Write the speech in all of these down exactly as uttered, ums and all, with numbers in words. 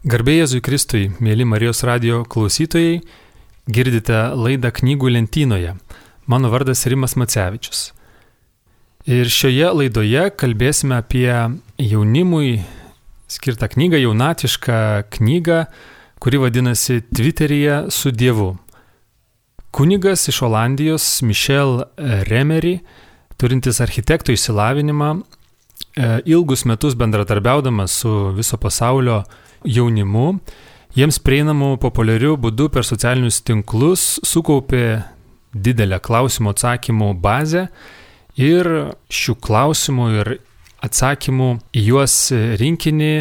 Garbė Jėzui Kristui, mėly Marijos radijo klausytojai, girdite laidą Knygų lentynoje. Mano vardas Rimas Macevičius. Ir šioje laidoje kalbėsime apie jaunimui skirtą knygą, jaunatišką knygą, kuri vadinasi Tviteryje su Dievu. Kunigas iš Olandijos Michel Remery, turintis architekto išsilavinimą, ilgus metus bendradarbiaudamas su viso pasaulio jaunimu, jiems prieinamų populiarių būdų per socialinius tinklus sukaupė didelę klausimų atsakymų bazę ir šių klausimų ir atsakymų į juos rinkinį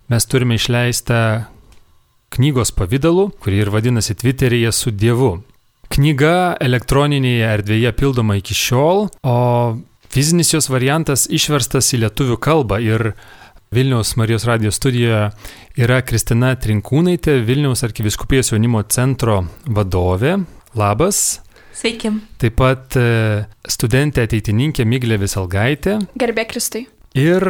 mes turime išleistą knygos pavidalu, kuri ir vadinasi Tviteryje su Dievu. Knyga elektroninėje erdvėje pildoma iki šiol, o fizinis jos variantas išverstas į lietuvių kalbą ir Vilniaus Marijos radijo studijoje yra Kristina Trinkūnaitė, Vilniaus arkivyskupijos jaunimo centro vadovė. Labas. Sveiki. Taip pat studentė ateitininkė Miglė Viselgaitė. Garbė Kristui. Ir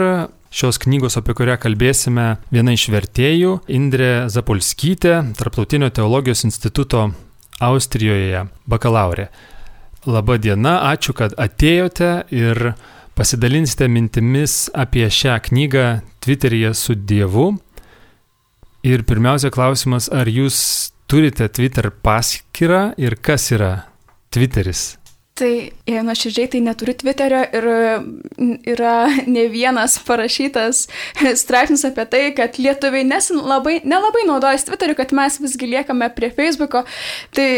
šios knygos, apie kurią kalbėsime, viena iš vertėjų, Indrė Zapolskytė, Tarptautinio teologijos instituto Austrijoje bakalaurė. Labą dieną, ačiū, kad atėjote ir pasidalinsite mintimis apie šią knygą Twitteryje su Dievu. Ir pirmiausia klausimas, ar jūs turite Twitter paskyrą ir kas yra Twitteris? Tai, jei nuoširdžiai, tai neturiu Twitterio ir yra ne vienas parašytas straipsnis apie tai, kad lietuviai labai, nelabai naudojasi Twitteriu, kad mes visgi liekame prie Facebooko. Tai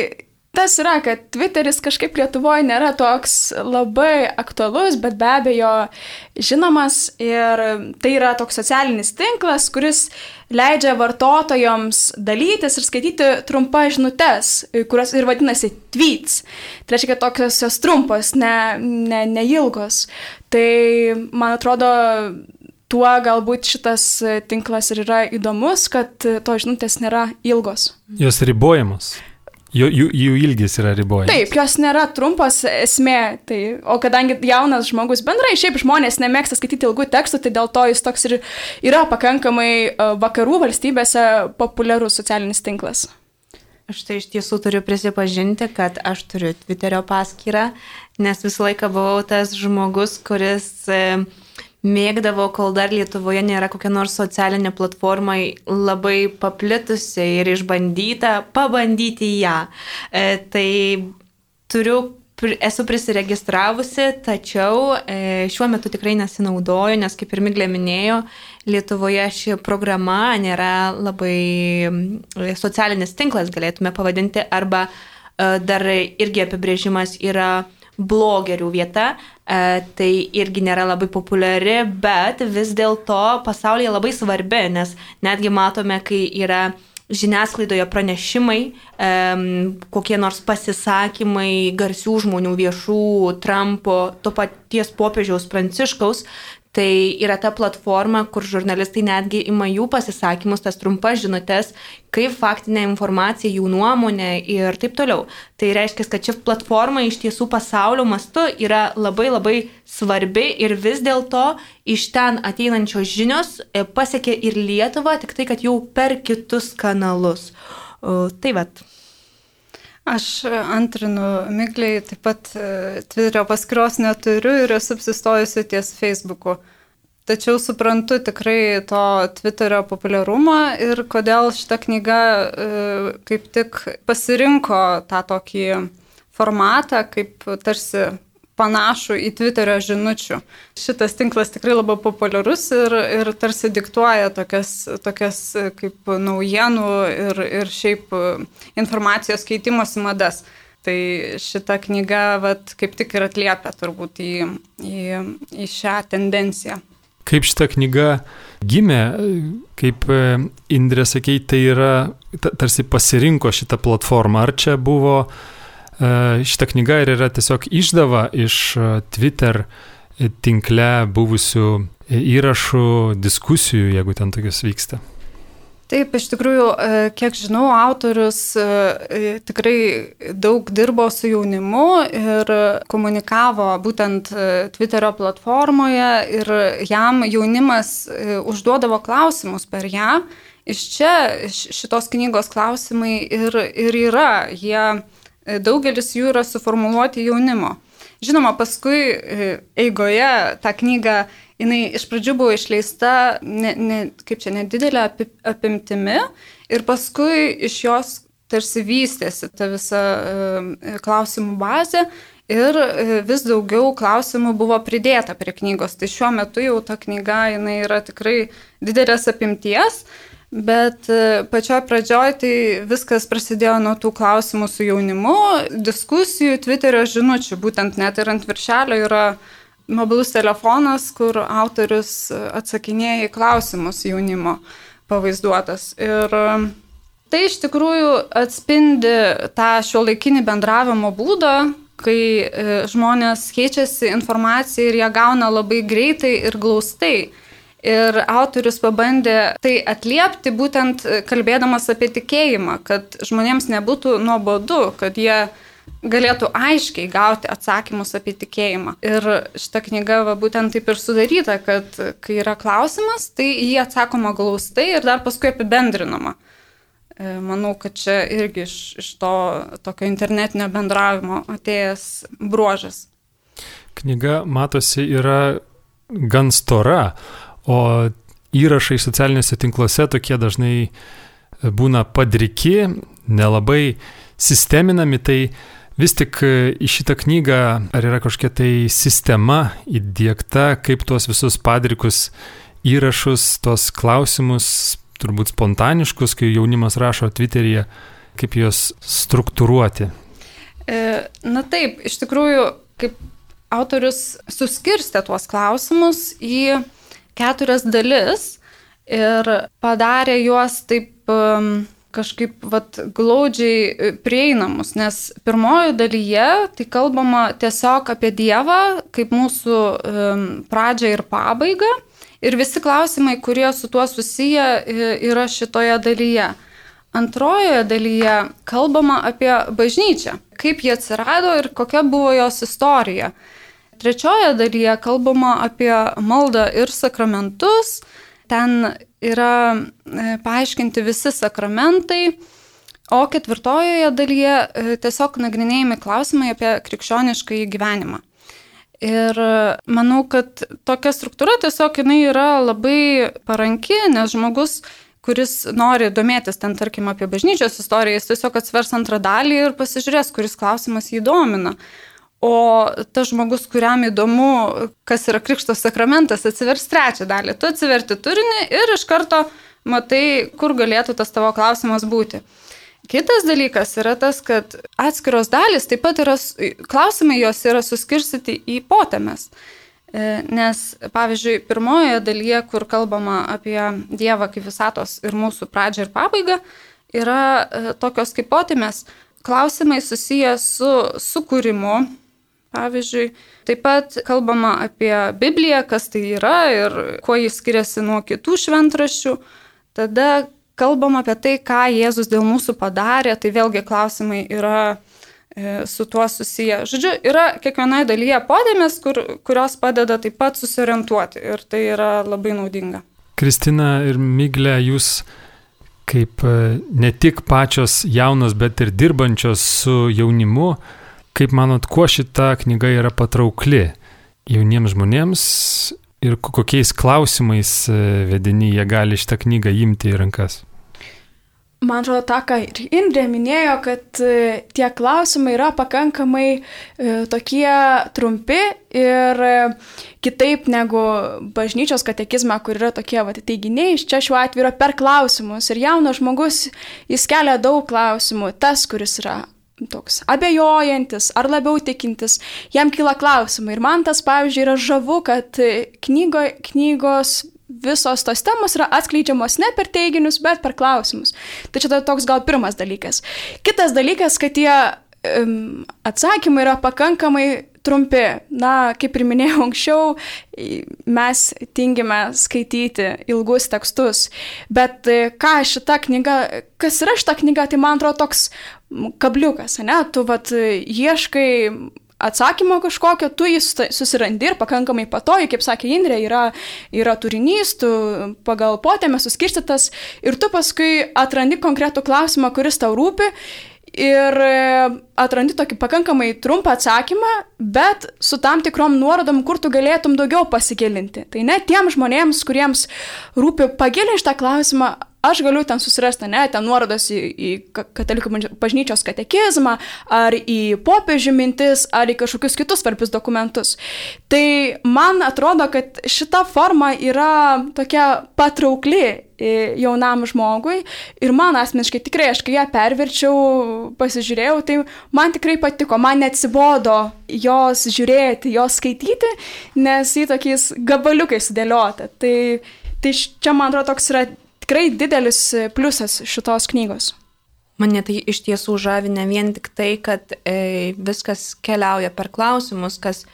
tas yra, kad Twitteris kažkaip Lietuvoje nėra toks labai aktualus, bet be abejo žinomas ir tai yra toks socialinis tinklas, kuris leidžia vartotojams dalytis ir skaityti trumpas žinutes, kurios ir vadinasi tweets. Tai reiškia, kad tokios jos trumpos, ne, ne, ne ilgos. Tai man atrodo, tuo galbūt šitas tinklas ir yra įdomus, kad to žinutės nėra ilgos. Jos ribojamos. Jų, jų, jų ilgis yra ribojamas. Taip, jos nėra trumpos esmė. Tai, o kadangi jaunas žmogus bendrai, šiaip žmonės nemėgsta skaityti ilgų tekstų, tai dėl to jis toks ir yra pakankamai vakarų valstybėse populiarus socialinis tinklas. Aš tai iš tiesų turiu prisipažinti, kad aš turiu Twitterio paskyrą, nes visą laiką buvau tas žmogus, kuris mėgdavo, kol dar Lietuvoje nėra kokia nors socialinė platforma labai paplitusi ir išbandyta, pabandyti ją. E, tai turiu, esu prisiregistravusi, tačiau e, šiuo metu tikrai nesinaudoju, nes kaip ir Miglė minėjo, Lietuvoje ši programa nėra labai socialinis tinklas, galėtume pavadinti, arba e, dar irgi apibrėžimas yra blogerių vieta, e, tai irgi nėra labai populiari, bet vis dėlto pasaulyje labai svarbi, nes netgi matome, kai yra žiniasklaidoje pranešimai, e, kokie nors pasisakymai garsių žmonių, viešų, Trumpo, to paties popiežiaus Pranciškaus, tai yra ta platforma, kur žurnalistai netgi ima jų pasisakymus, tas trumpas žinutes, kaip faktinė informacija, jų nuomonė ir taip toliau. Tai reiškia, kad ši platforma iš tiesų pasaulio mastu yra labai labai svarbi ir vis dėlto iš ten ateinančios žinios pasiekia ir Lietuvą, tik tai, kad jau per kitus kanalus. O, tai vat. Aš antrinu Miglei, taip pat Twitterio paskyros neturiu ir esu apsistojusi ties Facebooku. Tačiau suprantu tikrai to Twitterio populiarumą ir kodėl šita knyga kaip tik pasirinko tą tokį formatą, kaip tarsi panašų į Twitterio žinučių. Šitas tinklas tikrai labai populiarus ir, ir tarsi diktuoja tokias, tokias kaip naujienų ir, ir šiaip informacijos keitimosi madas. Tai šita knyga vat, kaip tik ir atliepia turbūt į, į, į šią tendenciją. Kaip šita knyga gimė, kaip Indrė sakei, tai yra tarsi pasirinko šitą platformą. Ar čia buvo šita knyga ir yra tiesiog išdava iš Twitter tinkle buvusių įrašų, diskusijų, jeigu ten tokios vyksta? Taip, iš tikrųjų, kiek žinau, autorius tikrai daug dirbo su jaunimu ir komunikavo būtent Twitterio platformoje ir jam jaunimas užduodavo klausimus per ją iš čia šitos knygos klausimai ir, ir yra, jie, daugelis jų yra suformuluoti jaunimo. Žinoma, paskui eigoje tą knygą, jinai iš pradžių buvo išleista, ne, ne, kaip čia, nedidelė apimtimi ir paskui iš jos tarsi vystėsi ta visa klausimų bazė ir vis daugiau klausimų buvo pridėta prie knygos. Tai šiuo metu jau ta knyga, jinai yra tikrai didelės apimties. Bet pačioj pradžioj tai viskas prasidėjo nuo tų klausimų su jaunimu, diskusijų, Twitterio žinučių, būtent net ir ant viršelio yra mobilus telefonas, kur autorius atsakinėja į klausimus jaunimo pavaizduotas. Ir tai iš tikrųjų atspindi tą šiuolaikinį bendravimo būdą, kai žmonės keičiasi informaciją ir ją gauna labai greitai ir glaustai. Ir autorius pabandė tai atliepti būtent kalbėdamas apie tikėjimą, kad žmonėms nebūtų nuobodu, kad jie galėtų aiškiai gauti atsakymus apie tikėjimą. Ir šita knyga va, būtent taip ir sudaryta, kad kai yra klausimas, tai jį atsakoma glaustai ir dar paskui apibendrinama. Manau, kad čia irgi iš, iš to tokio internetinio bendravimo atėjęs bruožas. Knyga, matosi, yra gan stora. O įrašai socialiniuose tinkluose tokie dažnai būna padriki, nelabai sisteminami, tai vis tik į šitą knygą ar yra kažkokia tai sistema įdiegta, kaip tuos visus padrikus įrašus, tuos klausimus, turbūt spontaniškus, kai jaunimas rašo Twitteryje, kaip juos struktūruoti? Na taip, iš tikrųjų, kaip autorius suskirstė tuos klausimus į keturias dalis ir padarė juos taip um, kažkaip vat, glaudžiai prieinamus, nes pirmojo dalyje tai kalbama tiesiog apie Dievą, kaip mūsų um, pradžią ir pabaigą ir visi klausimai, kurie su tuo susiję, yra šitoje dalyje. Antrojoje dalyje kalbama apie bažnyčią, kaip jie atsirado ir kokia buvo jos istorija. Trečioje dalyje kalbama apie maldą ir sakramentus, ten yra paaiškinti visi sakramentai, o ketvirtojoje dalyje tiesiog nagrinėjami klausimai apie krikščioniškąjį gyvenimą. Ir manau, kad tokia struktūra tiesiog jinai yra labai paranki, nes žmogus, kuris nori domėtis ten, tarkim, apie bažnyčios istoriją, jis tiesiog atsvers antrą dalį ir pasižiūrės, kuris klausimas jį domina. O tas žmogus, kuriam įdomu, kas yra krikšto sakramentas, atsivers trečią dalį. Tu atsiverti turinį ir iš karto matai, kur galėtų tas tavo klausimas būti. Kitas dalykas yra tas, kad atskiros dalys, taip pat yra, klausimai jos yra suskirstyti į potemes. Nes, pavyzdžiui, pirmojoje dalyje, kur kalbama apie Dievą kaip visatos ir mūsų pradžią ir pabaigą, yra tokios kaip potemes klausimai susiję su sukūrimu. Pavyzdžiui, taip pat kalbama apie Bibliją, kas tai yra ir kuo jis skiriasi nuo kitų šventraščių. Tada kalbama apie tai, ką Jėzus dėl mūsų padarė, tai vėlgi klausimai yra e, su tuo susiję. Žodžiu, yra kiekvienoje dalyje podėmės, kur, kurios padeda taip pat susiorientuoti ir tai yra labai naudinga. Kristina ir Miglė, jūs kaip ne tik pačios jaunos, bet ir dirbančios su jaunimu, kaip manot, kuo šita knyga yra patraukli jauniems žmonėms ir kokiais klausimais vedini jie gali šitą knygą imti į rankas? Man atrodo, tą, ką ir Indrė minėjo, kad tie klausimai yra pakankamai tokie trumpi ir kitaip negu bažnyčios katekizme, kur yra tokie va, teiginiai, čia šiuo atveju yra per klausimus. Ir jaunas žmogus, jis kelia daug klausimų. Tas, kuris yra toks abejojantis ar labiau tikintis, jam kyla klausimai. Ir man tas, pavyzdžiui, yra žavu, kad knygo, knygos visos tos temos yra atskleidžiamos ne per teiginius, bet per klausimus. Tai čia toks gal pirmas dalykas. Kitas dalykas, kad tie um, atsakymai yra pakankamai trumpi. Na, kaip ir minėjau anksčiau, mes tingime skaityti ilgus tekstus. Bet ką šita knyga, kas yra šita knyga, tai man atrodo toks kabliukas, ne? Tu vat ieškai atsakymo kažkokio, tu jį susirandi ir pakankamai patogiai, kaip sakė Indrė, yra, yra turinys, tu pagal potėmę suskirstytas ir tu paskui atrandi konkretų klausimą, kuris tau rūpi ir atrandi tokį pakankamai trumpą atsakymą, bet su tam tikrom nuorodom, kur tu galėtum daugiau pasigilinti. Tai ne tiem žmonėms, kuriems rūpi pagilinti šitą klausimą, aš galiu ten susirasti, ne, ten nuorodas į, į katalikų bažnyčios katekizmą, ar į popiežių mintis, ar į kažkokius kitus svarbius dokumentus. Tai man atrodo, kad šita forma yra tokia patraukli jaunam žmogui ir man asmeniškai tikrai, aš kai ją perverčiau, pasižiūrėjau, tai man tikrai patiko, man neatsibodo jos žiūrėti, jos skaityti, nes į tokiais gabaliukais sudėliota. Tai, tai čia, man atrodo, toks yra tikrai didelis pliusas šitos knygos. Mane tai iš tiesų žavi ne vien tik tai, kad e, viskas keliauja per klausimus, kas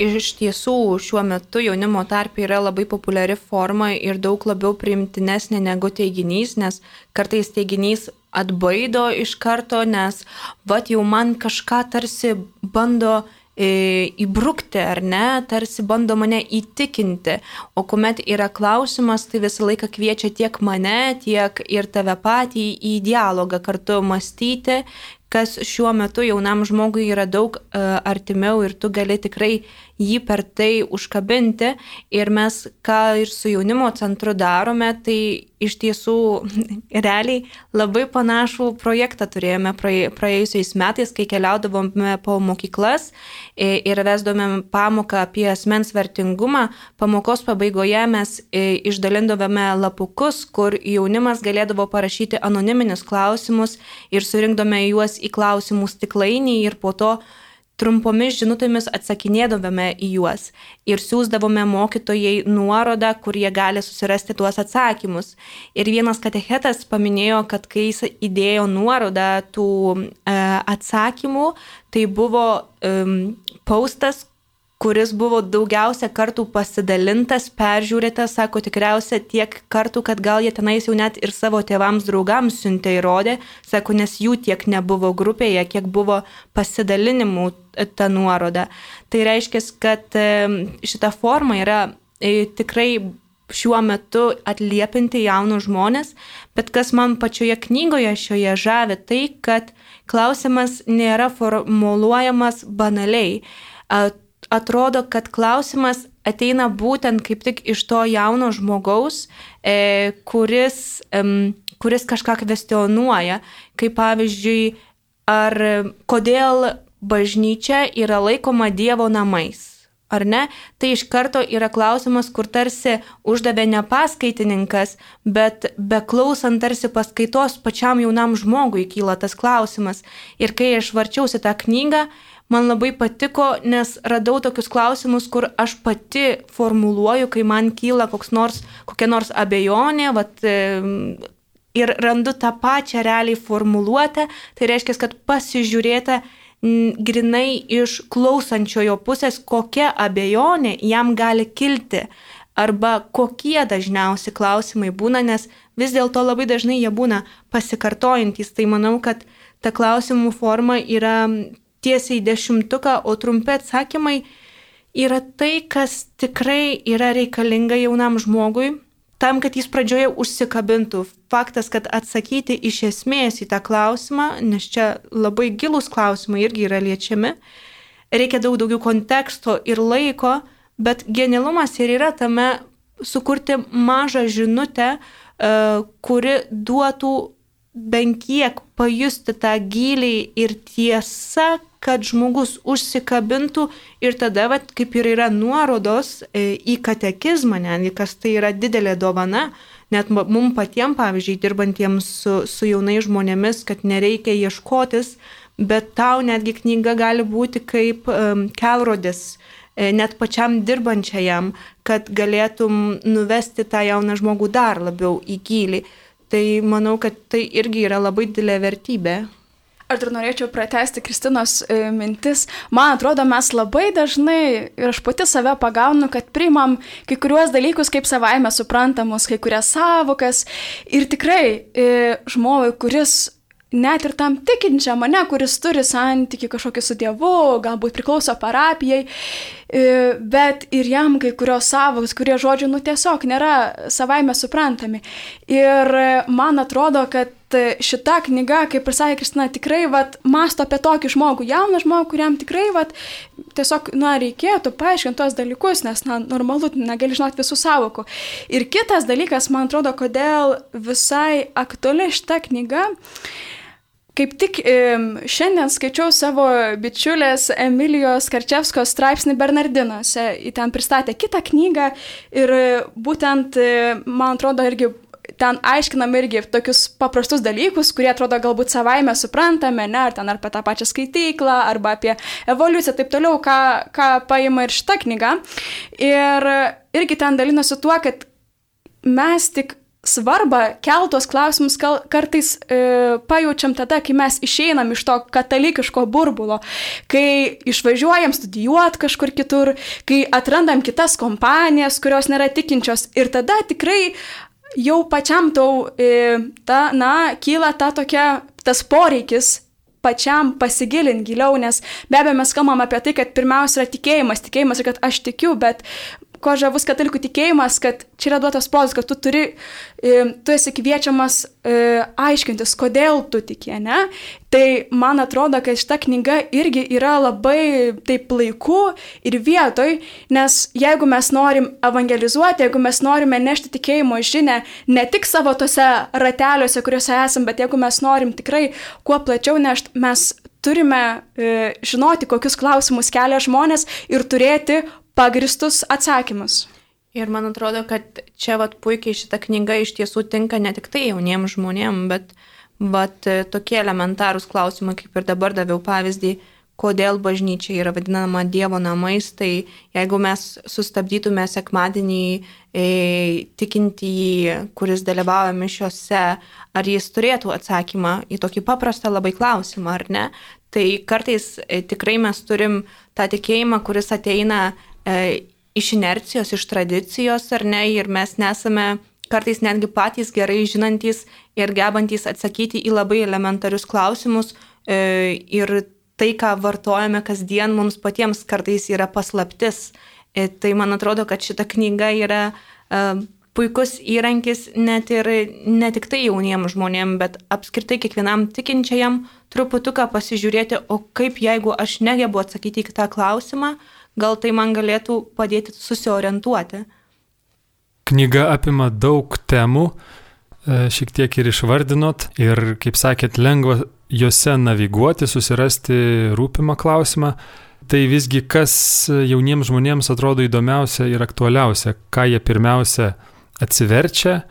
iš tiesų šiuo metu jaunimo tarpe yra labai populiari forma ir daug labiau priimtinesnė negu teiginys, nes kartais teiginys atbaido iš karto, nes vat jau man kažką tarsi bando įbrukti, ar ne, tarsi bando mane įtikinti, o kuomet yra klausimas, tai visą laiką kviečia tiek mane, tiek ir tave patį į dialogą kartu mąstyti, kas šiuo metu jaunam žmogui yra daug uh, artimiau ir tu gali tikrai jį per tai užkabinti. Ir mes, ką ir su jaunimo centru darome, tai iš tiesų realiai labai panašų projektą turėjome praėjusiais metais, kai keliaudavome po mokyklas ir vesdome pamoką apie asmens vertingumą. Pamokos pabaigoje mes išdalindavome lapukus, kur jaunimas galėdavo parašyti anoniminius klausimus ir surinkdome juos į klausimų stiklainį ir po to trumpomis žinutėmis atsakinėdavome į juos ir siūsdavome mokytojai nuorodą, kur jie gali susirasti tuos atsakymus. Ir vienas katechetas paminėjo, kad kai jis įdėjo nuorodą tų e, atsakymų, tai buvo e, postas, kuris buvo daugiausia kartų pasidalintas, peržiūrėtas, sako, tikriausia tiek kartų, kad gal jie tenais jau net ir savo tėvams, draugams siuntė įrodė, sako, nes jų tiek nebuvo grupėje, kiek buvo pasidalinimų ta nuoroda. Tai reiškia, kad šita forma yra tikrai šiuo metu atliepinti jaunus žmonės, bet kas man pačioje knygoje šioje žavi, tai kad klausimas nėra formuluojamas banaliai. Atrodo, kad klausimas ateina būtent kaip tik iš to jauno žmogaus, e, kuris, e, kuris kažką kvestionuoja, kaip pavyzdžiui, ar kodėl bažnyčia yra laikoma Dievo namais, ar ne? Tai iš karto yra klausimas, kur tarsi uždavė ne paskaitininkas, bet beklausant tarsi paskaitos pačiam jaunam žmogui kyla tas klausimas. Ir kai aš varčiausi tą knygą, man labai patiko, nes radau tokius klausimus, kur aš pati formuluoju, kai man kyla koks nors, kokia nors abejonė, vat, ir randu tą pačią realiai formuluotę, tai reiškia, kad pasižiūrėta grinai iš klausančiojo pusės, kokia abejonė jam gali kilti, arba kokie dažniausi klausimai būna, nes vis dėlto labai dažnai jie būna pasikartojantys. Tai manau, kad ta klausimų forma yra tiesiai dešimtuką, o trumpi atsakymai yra tai, kas tikrai yra reikalinga jaunam žmogui, tam, kad jis pradžioje užsikabintų. Faktas, kad atsakyti iš esmės į tą klausimą, nes čia labai gilūs klausimai irgi yra liečiami, reikia daug daugiau konteksto ir laiko, bet genialumas ir yra tame sukurti mažą žinutę, kuri duotų bent kiek pajusti tą gilį ir tiesą, kad žmogus užsikabintų ir tada, vat, kaip ir yra nuorodos į katekizmą, netgi, kas tai yra didelė dovana, net mums patiems, pavyzdžiui, dirbantiems su, su jaunai žmonėmis, kad nereikia ieškotis, bet tau netgi knyga gali būti kaip um, kelrodis, net pačiam dirbančiajam, kad galėtum nuvesti tą jauną žmogų dar labiau į gilį. Tai manau, kad tai irgi yra labai didelė vertybė. Aš dar norėčiau pratęsti Kristinos e, mintis. Man atrodo, mes labai dažnai, ir aš pati save pagaunu, kad priimam kai kuriuos dalykus kaip savaime suprantamus, kai kurias savokas. Ir tikrai e, žmogui, kuris net ir tam tikinčiam, mane, kuris turi santykį kažkokį su Dievu, galbūt priklauso parapijai, bet ir jam kai kurios savos, kurie žodžiai, nu tiesiog nėra savaime suprantami. Ir man atrodo, kad šita knyga, kaip ir sakė Kristina, tikrai vat, masto apie tokį žmogų, jauną žmogų, kuriam tikrai vat, tiesiog na, reikėtų paaiškinti tuos dalykus, nes na, normalu, negali žinoti visų savokų. Ir kitas dalykas, man atrodo, kodėl visai aktuali šita knyga. Kaip tik šiandien skaičiau savo bičiulės Emilijos Karčevskos straipsnį Bernardinuose. Ji ten pristatė kitą knygą ir būtent, man atrodo, irgi ten aiškinam irgi tokius paprastus dalykus, kurie atrodo galbūt savaime suprantame, ne, ar ten ar apie tą pačią skaityklą, arba apie evoliuciją, taip toliau, ką, ką paima ir šita knyga. Ir irgi ten dalinosi tuo, kad mes tik svarbą keltos klausimus kartais e, pajaučiam tada, kai mes išeinam iš to katalikiško burbulo, kai išvažiuojam studijuoti kažkur kitur, kai atrandam kitas kompanijas, kurios nėra tikinčios ir tada tikrai jau pačiam tau e, ta, na, kyla ta tokia, tas poreikis pačiam pasigilinti giliau, nes be abejo mes kalbam apie tai, kad pirmiausia yra tikėjimas, tikėjimas ir kad aš tikiu, bet ko žavus katalikų tikėjimas, kad čia yra duotas prozas, kad tu turi, tu esi kviečiamas aiškintis, kodėl tu tiki, ne? Tai man atrodo, kad šita knyga irgi yra labai taip laiku ir vietoj, nes jeigu mes norim evangelizuoti, jeigu mes norime nešti tikėjimo žinę ne tik savo tose rateliuose, kuriuose esam, bet jeigu mes norim tikrai kuo plačiau nešti, mes turime e, žinoti, kokius klausimus kelia žmonės ir turėti pagristus atsakymus. Ir man atrodo, kad čia vat, puikiai šita knyga iš tiesų tinka ne tik tai jauniems žmonėms, bet, bet tokie elementarūs klausimai, kaip ir dabar daviau pavyzdį, kodėl bažnyčia yra vadinama Dievo namais, tai jeigu mes sustabdytume sekmadienį e, tikintįjį, kuris dalyvauja mišiose, ar jis turėtų atsakymą į tokį paprastą labai klausimą, ar ne? Tai kartais e, tikrai mes turim tą tikėjimą, kuris ateina e, iš inercijos, iš tradicijos, ar ne, ir mes nesame kartais netgi patys gerai žinantys ir gebantys atsakyti į labai elementarius klausimus e, ir tai, ką vartojame kasdien, mums patiems kartais yra paslaptis. E, tai man atrodo, kad šita knyga yra e, puikus įrankis net ir ne tik tai jauniems žmonėms, bet apskritai kiekvienam tikinčiajam truputuką pasižiūrėti, o kaip jeigu aš negebu atsakyti į tą klausimą, gal tai man galėtų padėti susiorientuoti. Knyga apima daug temų, šiek tiek ir išvardinot, ir, kaip sakėt, lengva juose naviguoti, susirasti rūpimą klausimą. Tai visgi, kas jauniems žmonėms atrodo įdomiausia ir aktualiausia, ką jie pirmiausia atsiverčia,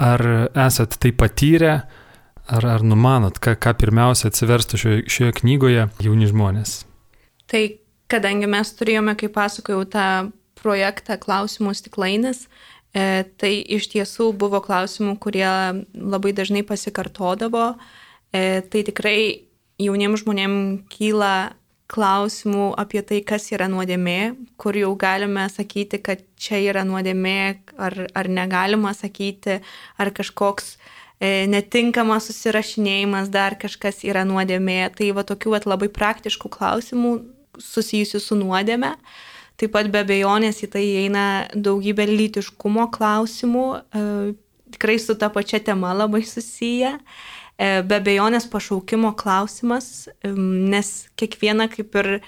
ar esat tai patyrę, ar, ar numanot, ką, ką pirmiausia atsiverstų šioje, šioje knygoje jauni žmonės? Tai kadangi mes turėjome, kaip pasakojau, tą projektą klausimų stiklainis, e, tai iš tiesų buvo klausimų, kurie labai dažnai pasikartodavo. E, tai tikrai jauniems žmonėms kyla klausimų apie tai, kas yra nuodėmė, kur jau galime sakyti, kad čia yra nuodėmė, ar, ar negalima sakyti, ar kažkoks e, netinkamas susirašinėjimas, dar kažkas yra nuodėmė. Tai va tokių va, labai praktiškų klausimų susijusių su nuodėme. Taip pat be abejonės į tai įeina daugybė lytiškumo klausimų, e, tikrai su ta pačia tema labai susiję. E, be abejonės pašaukimo klausimas, e, nes kiekviena, kaip ir e,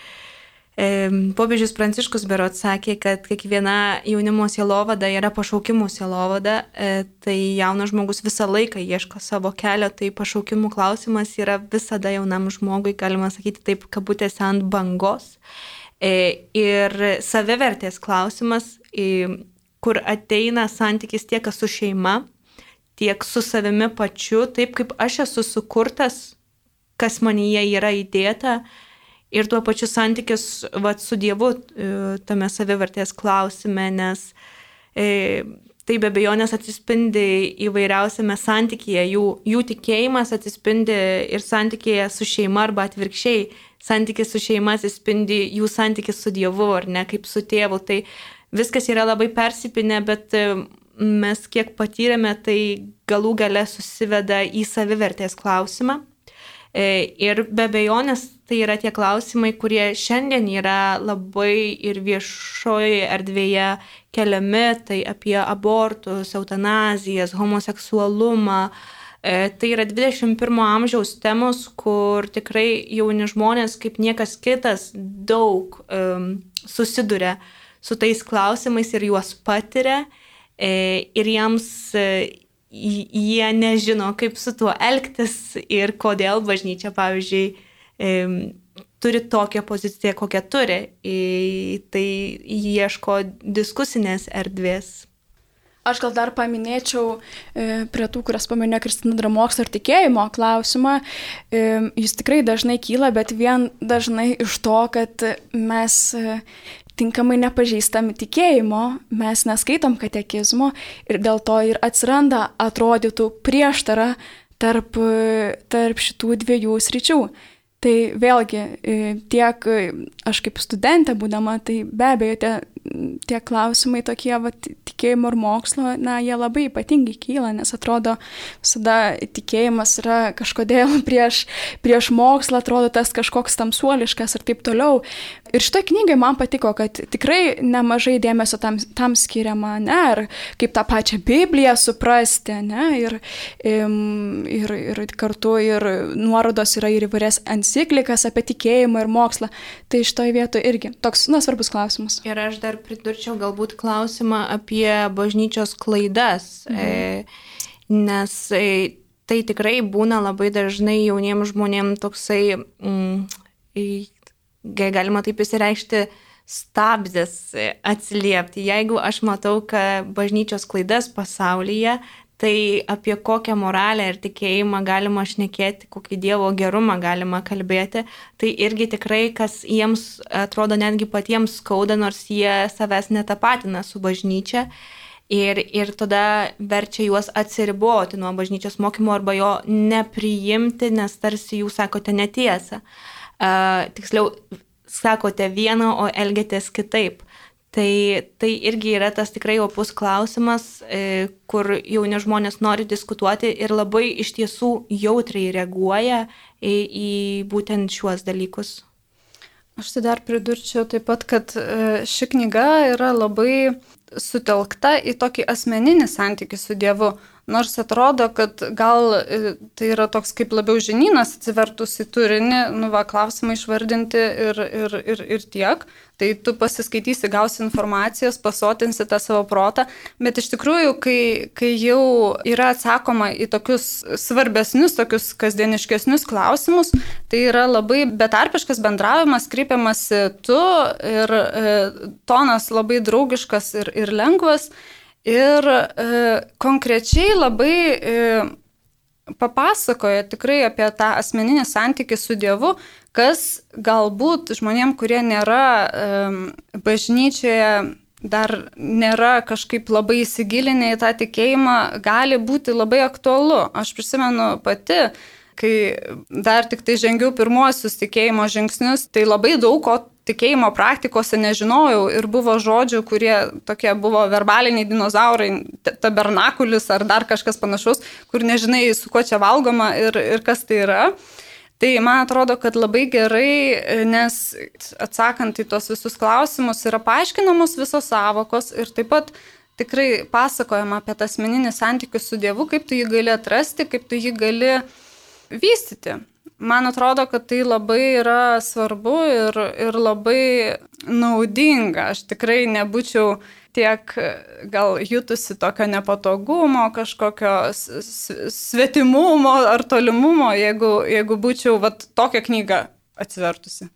popiežius Pranciškus berods sakė, kad kiekviena jaunimo sielovada yra pašaukimų sielovada, e, tai jaunas žmogus visą laiką ieško savo kelio, tai pašaukimų klausimas yra visada jaunam žmogui, galima sakyti taip, kabutėse ant bangos. E, ir savivertės klausimas, e, kur ateina santykis tiek su šeima, tiek su savimi pačiu, taip kaip aš esu sukurtas, kas manyje yra įdėta, ir tuo pačiu santykis vat, su Dievu tame savivertės klausime, nes e, tai be abejonės atsispindi įvairiausiame santykyje, jų, jų tikėjimas atsispindi ir santykyje su šeima arba atvirkščiai, santykis su šeima atsispindi jų santykis su Dievu, ar ne, kaip su tėvu, tai viskas yra labai persipinę, bet mes kiek patyrėme, tai galų gale susiveda į savivertės klausimą. Ir be abejonės tai yra tie klausimai, kurie šiandien yra labai ir viešoje erdvėje keliami, tai apie abortus, eutanazijas, homoseksualumą. Tai yra dvidešimt pirmo amžiaus temos, kur tikrai jauni žmonės kaip niekas kitas daug um, susiduria su tais klausimais ir juos patiria e, ir jiems e, jie nežino, kaip su tuo elgtis ir kodėl bažnyčia, pavyzdžiui, e, turi tokią poziciją, kokią turi. E, tai ieško diskusinės erdvės. Aš gal dar paminėčiau e, prie tų, kurias paminėjo Kristina, dar mokslo ir tikėjimo klausimą. E, jis tikrai dažnai kyla, bet vien dažnai iš to, kad mes e, tinkamai nepažįstami tikėjimo, mes neskaitom katekizmo ir dėl to ir atsiranda atrodytų prieštara tarp, tarp šitų dviejų sričių. Tai vėlgi tiek aš kaip studentė būdama, tai be abejo tie, tie klausimai tokie va, tikėjimo ir mokslo, na, jie labai ypatingai kyla, nes atrodo visada tikėjimas yra kažkodėl prieš, prieš mokslą, atrodo tas kažkoks tamsuoliškas ir taip toliau. Ir šitoj knygai man patiko, kad tikrai nemažai dėmesio tam, tam skiriama, ne, ir kaip tą pačią Bibliją suprasti, ne, ir, ir, ir kartu ir nuorodos yra ir įvairias enciklikas apie tikėjimą ir mokslą. Tai šitoj vietoje irgi toks, na, svarbus klausimas. Ir aš dar pridurčiau galbūt klausimą apie bažnyčios klaidas, mhm. e, nes e, tai tikrai būna labai dažnai jauniems žmonėms toksai... Mm, e, galima taip įsireikšti, stabdis atsiliepti. Jeigu aš matau, kad bažnyčios klaidas pasaulyje, tai apie kokią moralę ir tikėjimą galima šnekėti, kokį Dievo gerumą galima kalbėti, tai irgi tikrai, kas jiems atrodo netgi patiems skauda, nors jie savęs netapatina su bažnyčia. Ir, ir tada verčia juos atsiriboti nuo bažnyčios mokymo arba jo nepriimti, nes tarsi jūs sakote netiesą. Uh, tiksliau, sakote vieną, o elgiatės kitaip. Tai, tai irgi yra tas tikrai opus klausimas, e, kur jauni žmonės nori diskutuoti ir labai iš tiesų jautriai reaguoja į, į būtent šiuos dalykus. Aš tai dar pridurčiau taip pat, kad ši knyga yra labai sutelkta į tokį asmeninį santykį su Dievu. Nors atrodo, kad gal tai yra toks kaip labiau žinynas atsivertus į turinį, nu va, klausimai išvardinti ir, ir, ir, ir tiek. Tai tu pasiskaitysi, gausi informacijos, pasotinsi tą savo protą. Bet iš tikrųjų, kai, kai jau yra atsakoma į tokius svarbesnius, tokius kasdieniškesnius klausimus, tai yra labai betarpiškas bendravimas, kreipiamasi tu ir e, tonas labai draugiškas ir, ir lengvas. Ir e, konkrečiai labai e, papasakoja tikrai apie tą asmeninį santykį su Dievu, kas galbūt žmonėm, kurie nėra e, bažnyčioje, dar nėra kažkaip labai įsigilinę į tą tikėjimą, gali būti labai aktualu. Aš prisimenu pati, kai dar tik tai žengiau pirmuosius tikėjimo žingsnius, tai labai daug ko tikėjimo praktikose nežinojau ir buvo žodžių, kurie tokie buvo verbaliniai dinozaurai, tabernakulis ar dar kažkas panašaus, kur nežinai, su kuo čia valgoma ir, ir kas tai yra. Tai man atrodo, kad labai gerai, nes atsakant į tos visus klausimus yra paaiškinamos visos savokos ir taip pat tikrai pasakojama apie tą asmeninį santykių su Dievu, kaip tu jį gali atrasti, kaip tu jį gali vystyti. Man atrodo, kad tai labai yra svarbu ir, ir labai naudinga. Aš tikrai nebūčiau tiek gal jutusi tokio nepatogumo, kažkokio svetimumo ar tolimumo, jeigu, jeigu būčiau vat, tokią knygą atsivertusi.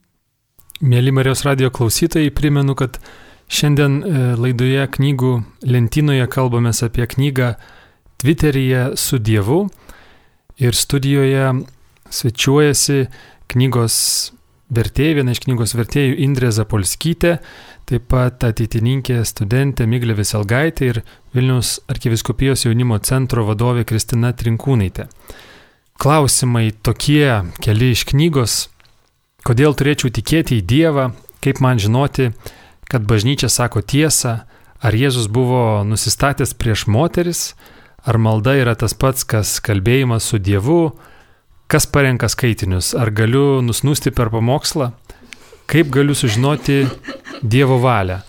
Mėly Marijos radijo klausytojai, primenu, kad šiandien laidoje knygų lentynoje kalbamės apie knygą Tviteryje su Dievu ir studijoje svečiuojasi knygos vertėja, viena iš knygos vertėjų Indrė Zapolskytė, taip pat ateitininkė studentė Miglė Veselgaitė ir Vilniaus arkivyskupijos jaunimo centro vadovė Kristina Trinkūnaitė. Klausimai tokie keli iš knygos: kodėl turėčiau tikėti į Dievą, kaip man žinoti, kad bažnyčia sako tiesą, ar Jėzus buvo nusistatęs prieš moteris, ar malda yra tas pats, kas kalbėjimas su Dievu, Kas parenka skaitinius? Ar galiu nusnūsti per pamokslą? Kaip galiu sužinoti Dievo valią?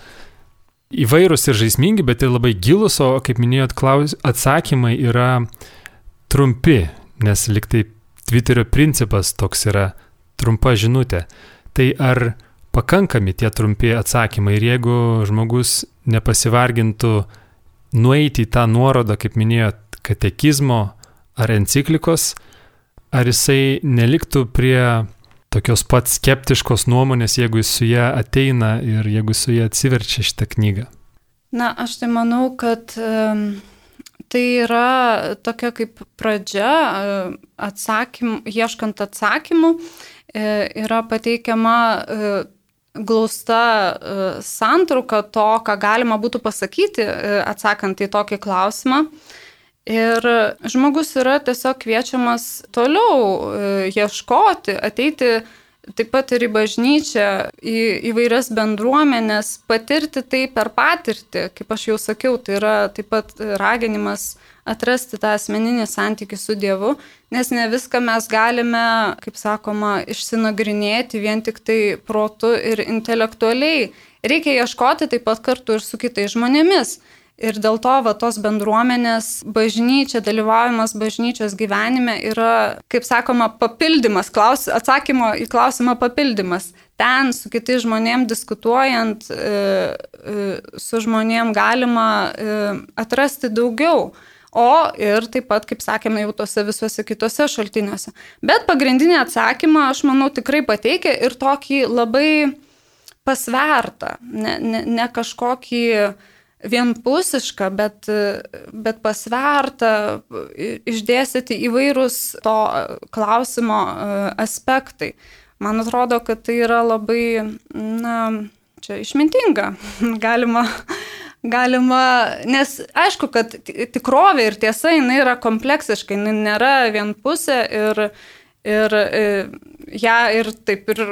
Įvairūs ir žaismingi, bet ir labai gilus, o kaip minėjot, klaus... atsakymai yra trumpi, nes liktai Twitterio principas toks yra trumpa žinutė. Tai ar pakankami tie trumpi atsakymai ir jeigu žmogus nepasivargintų nueiti į tą nuorodą, kaip minėjot, katekizmo ar enciklikos, ar jisai neliktų prie tokios pat skeptiškos nuomonės, jeigu jis su ją ateina ir jeigu su ją atsiverčia šitą knygą? Na, aš tai manau, kad um, tai yra tokia kaip pradžia, atsakym, ieškant atsakymų, yra pateikiama glausta santrauka to, ką galima būtų pasakyti, atsakant į tokį klausimą. Ir žmogus yra tiesiog kviečiamas toliau ieškoti, ateiti taip pat ir į bažnyčią, į įvairias bendruomenės, patirti tai per patirtį, kaip aš jau sakiau, tai yra taip pat raginimas atrasti tą asmeninį santykį su Dievu, nes ne viską mes galime, kaip sakoma, išsinagrinėti vien tik tai protu ir intelektualiai. Reikia ieškoti taip pat kartu ir su kitais žmonėmis. Ir dėl to va, tos bendruomenės bažnyčia, dalyvavimas bažnyčios gyvenime yra, kaip sakoma, papildymas, klaus, atsakymo į klausimą papildymas. Ten su kitais žmonėm diskutuojant, e, e, su žmonėm galima e, atrasti daugiau. O ir taip pat, kaip sakėme, jau tose visuose kitose šaltiniuose. Bet pagrindinį atsakymą, aš manau, tikrai pateikia ir tokį labai pasvertą, ne, ne, ne kažkokį vienpusišką, bet, bet pasvertą, išdėstyti įvairūs to klausimo aspektai. Man atrodo, kad tai yra labai, na, čia išmintinga. Galima, galima, nes aišku, kad tikrovė ir tiesa, jinai yra kompleksiška, jinai nėra vienpusė ir, ir ją ir taip ir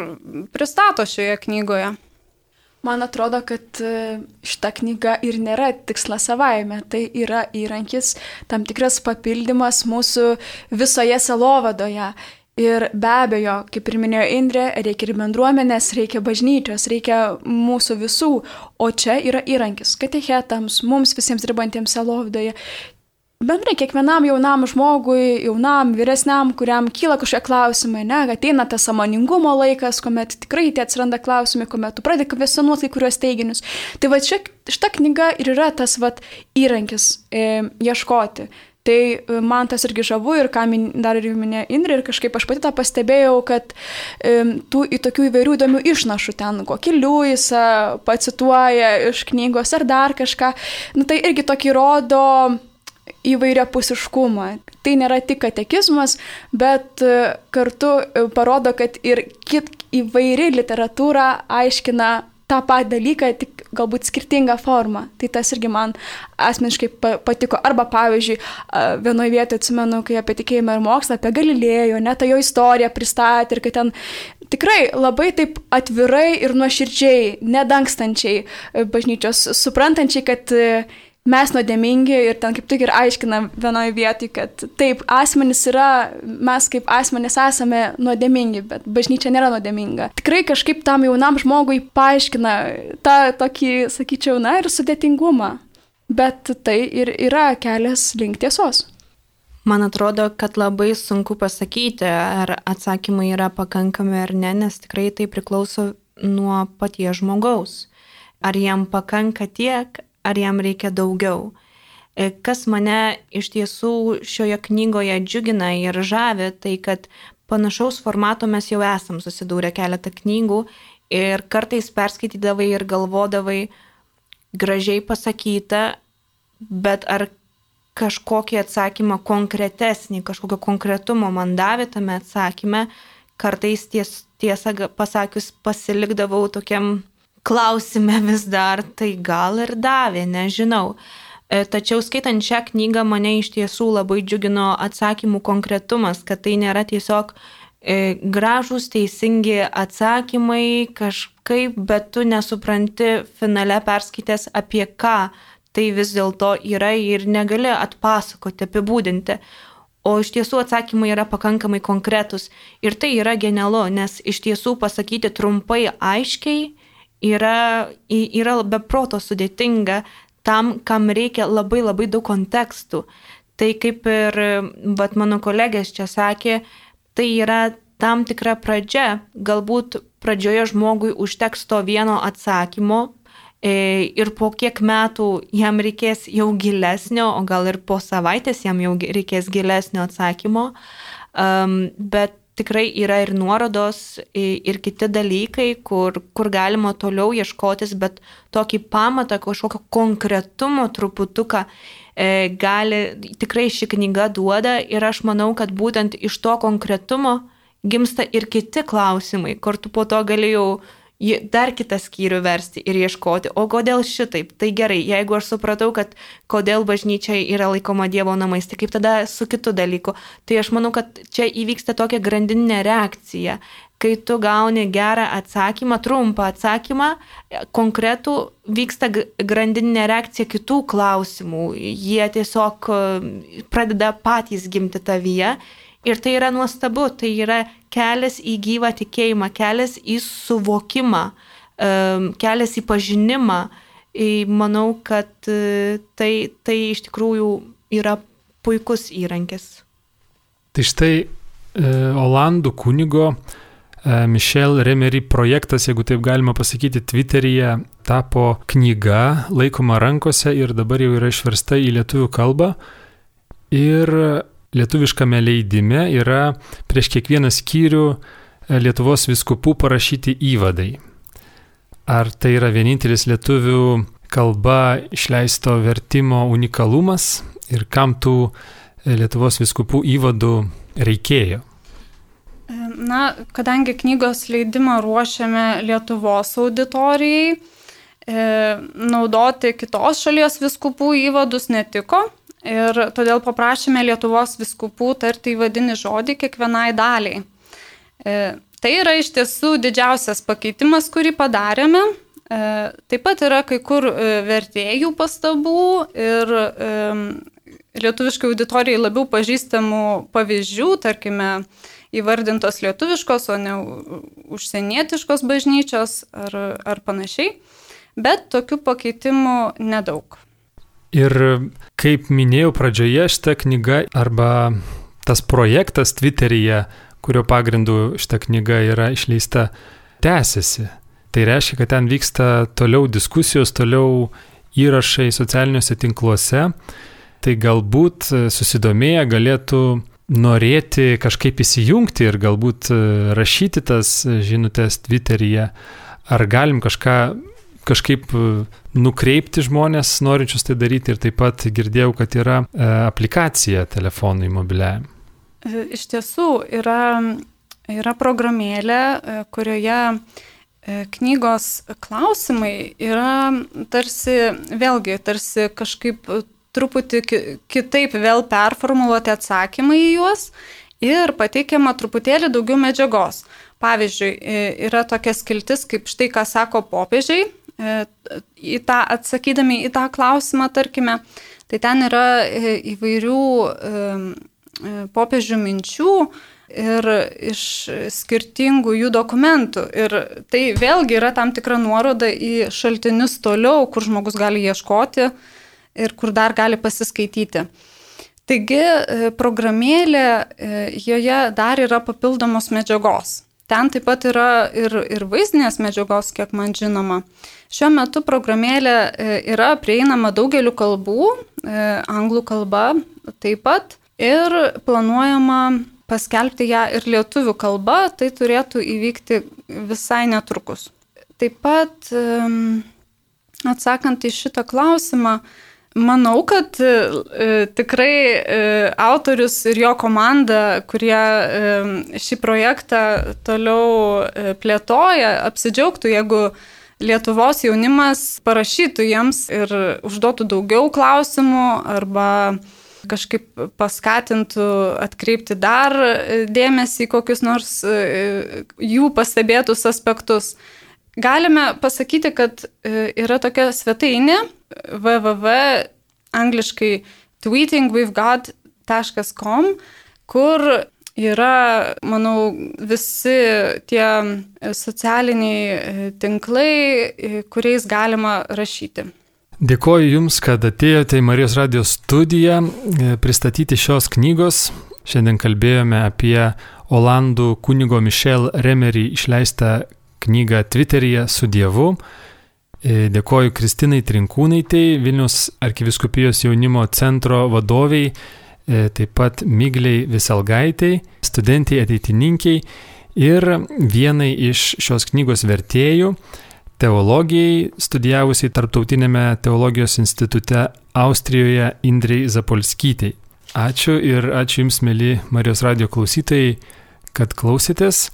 pristato šioje knygoje. Man atrodo, kad šita knyga ir nėra tikslas savaime, tai yra įrankis, tam tikras papildymas mūsų visoje sielovadoje. Ir be abejo, kaip ir minėjo Indrė, reikia ir bendruomenės, reikia bažnyčios, reikia mūsų visų, o čia yra įrankis katechetams, mums visiems dirbantiems sielovadoje. Bendrai, kiekvienam jaunam žmogui, jaunam, vyresniam, kuriam kyla kažkokie klausimai, ne, ateina tas sąmoningumo laikas, kuomet tikrai tie atsiranda klausimai, kuomet tu pradedi kvestionuoti kai kuriuos teiginius. Tai va čia šita knyga ir yra tas va įrankis e, ieškoti. Tai man tas irgi žavu ir ką min, dar ir minėjo Indrė ir kažkaip aš pati tą pastebėjau, kad e, tų į tokių įvairių įdomių išnašų ten, kokį Liujisą pacituoja iš knygos ar dar kažką, nu, tai irgi tokį rodo įvairiapusiškumą. Tai nėra tik katekizmas, bet kartu parodo, kad ir kit įvairi literatūra aiškina tą patį dalyką, tik galbūt skirtingą formą. Tai tas irgi man asmeniškai patiko. Arba pavyzdžiui, vienoje vietoje atsimenu, kai apie tikėjimą ir mokslą, apie Galilėjo, net tą jo istoriją pristatė ir kad ten tikrai labai taip atvirai ir nuoširdžiai, nedangstančiai bažnyčios, suprantančiai, kad mes nuodėmingi ir ten kaip tik ir aiškina vienoje vietoje, kad taip, asmenys yra, mes kaip asmenys esame nuodėmingi, bet bažnyčia nėra nuodėminga. Tikrai kažkaip tam jaunam žmogui paaiškina tą tokį, sakyčiau, na ir sudėtingumą, bet tai ir yra kelias link tiesos. Man atrodo, kad labai sunku pasakyti, ar atsakymai yra pakankami ar ne, nes tikrai tai priklauso nuo paties žmogaus. Ar jam pakanka tiek, ar jam reikia daugiau. Kas mane iš tiesų šioje knygoje džiugina ir žavi, tai kad panašaus formato mes jau esam susidūrę keletą knygų ir kartais perskaitydavai ir galvodavai gražiai pasakyta, bet ar kažkokį atsakymą konkretesnį, kažkokio konkretumo man davė tame atsakyme, kartais ties, tiesą pasakius pasilikdavau tokiam klausime vis dar, tai gal ir davė, nežinau. Tačiau skaitant šią knygą mane iš tiesų labai džiugino atsakymų konkretumas, kad tai nėra tiesiog gražūs, teisingi atsakymai kažkaip, bet tu nesupranti finale perskaitęs apie ką tai vis dėlto yra ir negali atpasakoti, apibūdinti. o iš tiesų atsakymai yra pakankamai konkretus. Ir tai yra genialu, nes iš tiesų pasakyti trumpai, aiškiai yra, yra be proto sudėtinga tam, kam reikia labai labai daug kontekstų. Tai kaip ir vat, mano kolegės čia sakė, tai yra tam tikra pradžia. Galbūt pradžioje žmogui užteks to vieno atsakymo ir po kiek metų jam reikės jau gilesnio, o gal ir po savaitės jam jau reikės gilesnio atsakymo. Um, bet tikrai yra ir nuorodos, ir kiti dalykai, kur, kur galima toliau ieškotis, bet tokį pamatą, kažkokio konkretumo truputuką e, gali, tikrai ši knyga duoda ir aš manau, kad būtent iš to konkretumo gimsta ir kiti klausimai, kur tu po to galėjau dar kitą skyrių versti ir ieškoti, o kodėl šitaip? Tai gerai, jeigu aš supratau, kad kodėl bažnyčia yra laikoma Dievo namais, tai kaip tada su kitu dalyku? Tai aš manau, kad čia įvyksta tokia grandininė reakcija, kai tu gauni gerą atsakymą, trumpą atsakymą, konkretų vyksta grandininė reakcija kitų klausimų, jie tiesiog pradeda patys gimti tavyje. Ir tai yra nuostabu, tai yra kelias į gyvą tikėjimą, kelias į suvokimą, kelias į pažinimą. Manau, kad tai, tai iš tikrųjų yra puikus įrankis. Tai štai Olandų kunigo Michel Remery projektas, jeigu taip galima pasakyti, Twitteryje tapo knyga, laikoma rankose ir dabar jau yra išversta į lietuvių kalbą. Ir lietuviškame leidime yra prieš kiekvieną skyrių Lietuvos vyskupų parašyti įvadai. Ar tai yra vienintelis lietuvių kalba išleisto vertimo unikalumas ir kam tų Lietuvos vyskupų įvadų reikėjo? Na, kadangi knygos leidimą ruošiame Lietuvos auditorijai, naudoti kitos šalies vyskupų įvadus netiko. Ir todėl paprašėme Lietuvos vyskupų tarti įvadinį žodį kiekvienai daliai. E, tai yra iš tiesų didžiausias pakeitimas, kurį padarėme. E, taip pat yra kai kur vertėjų pastabų ir e, lietuviškai auditorijai labiau pažįstamų pavyzdžių, tarkime, įvardintos lietuviškos, o ne užsienietiškos bažnyčios ar, ar panašiai. Bet tokių pakeitimų nedaug. Ir kaip minėjau pradžioje, šita knyga arba tas projektas Twitteryje, kurio pagrindu šita knyga yra išleista, tęsiasi. Tai reiškia, kad ten vyksta toliau diskusijos, toliau įrašai socialiniuose tinkluose. Tai galbūt susidomėję galėtų norėti kažkaip įsijungti ir galbūt rašyti tas žinutės Twitteryje. Ar galim kažką kažkaip nukreipti žmonės norinčius tai daryti ir taip pat girdėjau, kad yra e, aplikacija telefonui mobiliajam. Iš tiesų yra, yra programėlė, kurioje knygos klausimai yra tarsi, vėlgi, tarsi kažkaip truputį kitaip vėl performuluoti atsakymai į juos ir pateikiama truputėlį daugiau medžiagos. Pavyzdžiui, yra tokia skiltis, kaip štai ką sako popiežiai, į tą, atsakydami į tą klausimą, tarkime, tai ten yra įvairių popiežių minčių ir iš skirtingų jų dokumentų. Ir tai vėlgi yra tam tikra nuoroda į šaltinius toliau, kur žmogus gali ieškoti ir kur dar gali pasiskaityti. Taigi, programėlė, joje dar yra papildomos medžiagos. Ten taip pat yra ir, ir vaizdinės medžiagos, kiek man žinoma. Šiuo metu programėlė yra prieinama daugeliu kalbų, anglų kalba taip pat, ir planuojama paskelbti ją ir lietuvių kalba, tai turėtų įvykti visai netrukus. Taip pat, atsakant į šitą klausimą, manau, kad e, tikrai e, autorius ir jo komanda, kurie e, šį projektą toliau e, plėtoja, apsidžiaugtų, jeigu Lietuvos jaunimas parašytų jiems ir užduotų daugiau klausimų arba kažkaip paskatintų atkreipti dar dėmesį į kokius nors e, jų pastebėtus aspektus. Galime pasakyti, kad yra tokia svetainė w w w angliškai tweeting with god taškas com, kur yra, manau, visi tie socialiniai tinklai, kuriais galima rašyti. Dėkoju Jums, kad atėjote į Marijos radijos studiją pristatyti šios knygos. Šiandien kalbėjome apie olandų kunigo Michel Remery išleistą knygą Twitteryje su Dievu. Dėkoju Kristinai Trinkūnaitei, Vilniaus arkivyskupijos jaunimo centro vadoviai, taip pat Migliai Viselgaitei, studentiai ateitininkiai ir vienai iš šios knygos vertėjų, teologijai, studijavusiai Tarptautinėme teologijos institute Austrijoje Indrei Zapolskytei. Ačiū ir ačiū Jums, mėly Marijos radijo klausytojai, kad klausėtės.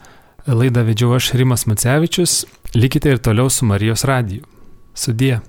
Laidą vedžiau aš, Rimas Macevičius. Likite ir toliau su Marijos radiju. Sudie.